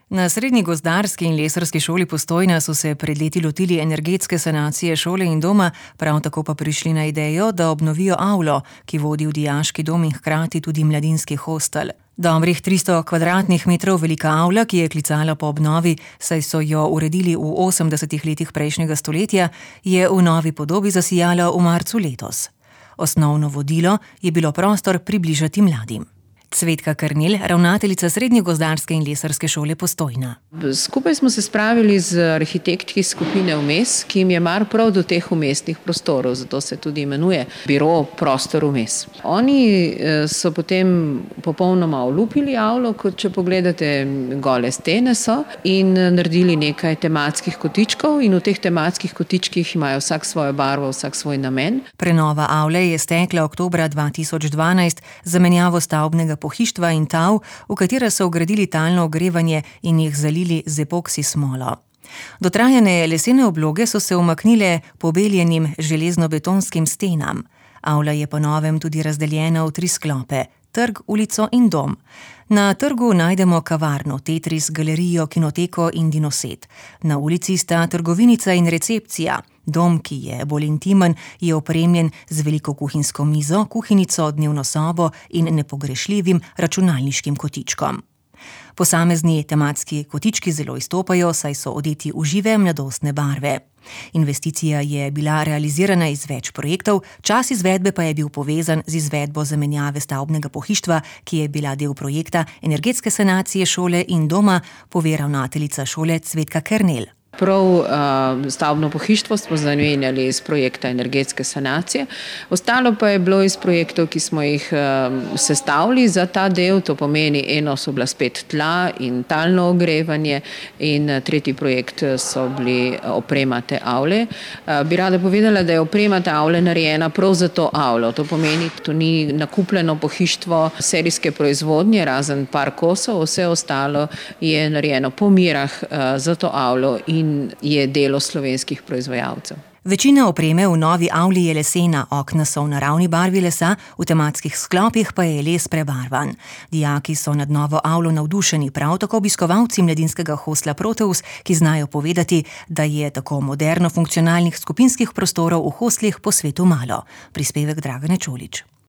Na Srednji gozdarski in lesarski šoli Postojna so se pred leti lotili energetske sanacije šole in doma, prav tako pa prišli na idejo, da obnovijo avlo, ki vodi v dijaški dom in hkrati tudi mladinski hostel. Dobrih 300 kvadratnih metrov velika avla, ki je klicala po obnovi, saj so jo uredili v 80. letih prejšnjega stoletja, je v novi podobi zasijala v marcu letos. Osnovno vodilo je bilo prostor približati mladim. Cvetka Kernel, ravnateljica Srednje gozdarske in lesarske šole Postojna. Skupaj smo se spravili z arhitektki skupine Vmes, ki jim je mar prav do teh umestnih prostorov, zato se tudi imenuje biro Prostor Vmes. Oni so potem popolnoma olupili avlo, kot če pogledate, gole stene so, in naredili nekaj tematskih kotičkov in v teh tematskih kotičkih imajo vsak svojo barvo, vsak svoj namen. Prenova avle je stekla oktobra 2012 z zamenjavo stavbnega pohištva in tav, v katera so vgradili talno ogrevanje in jih zalili z epoksi smolo. Dotrajane lesene obloge so se umaknile pobeljenim železno-betonskim stenam. Avla je po novem tudi razdeljena v 3 sklope: trg, ulico in dom. Na trgu najdemo kavarno, Tetris, galerijo, kinoteko in dinoset. Na ulici sta trgovinica in recepcija. Dom, ki je bolj intimen, je opremljen z veliko kuhinjsko mizo, kuhinjico, dnevno sobo in nepogrešljivim računalniškim kotičkom. Posamezni tematski kotički zelo izstopajo, saj so odeti v žive mladostne barve. Investicija je bila realizirana iz več projektov, čas izvedbe pa je bil povezan z izvedbo zamenjave stavbnega pohištva, ki je bila del projekta energetske sanacije šole in doma, pove ravnateljica šole Cvetka Kernel. Prav stavbno pohištvo smo zamenjali iz projekta energetske sanacije. Ostalo pa je bilo iz projektov, ki smo jih sestavili za ta del. To pomeni, eno so bila spet tla in talno ogrevanje in tretji projekt so bili oprema te avle. Bi rada povedala, da je oprema te avle narejena prav za to avlo. To pomeni, to ni nakupljeno pohištvo serijske proizvodnje, razen par kosov, vse ostalo je narejeno po merah za to avlo in je delo slovenskih proizvajalcev. Večina opreme v novi avli je lesena, okna so v naravni barvi lesa, v tematskih sklopih pa je les prebarvan. Dijaki so nad novo avlo navdušeni, prav tako obiskovalci mladinskega hostla Proteus, ki znajo povedati, da je tako moderno funkcionalnih skupinskih prostorov v hostlih po svetu malo. Prispevek Dragane Čolić.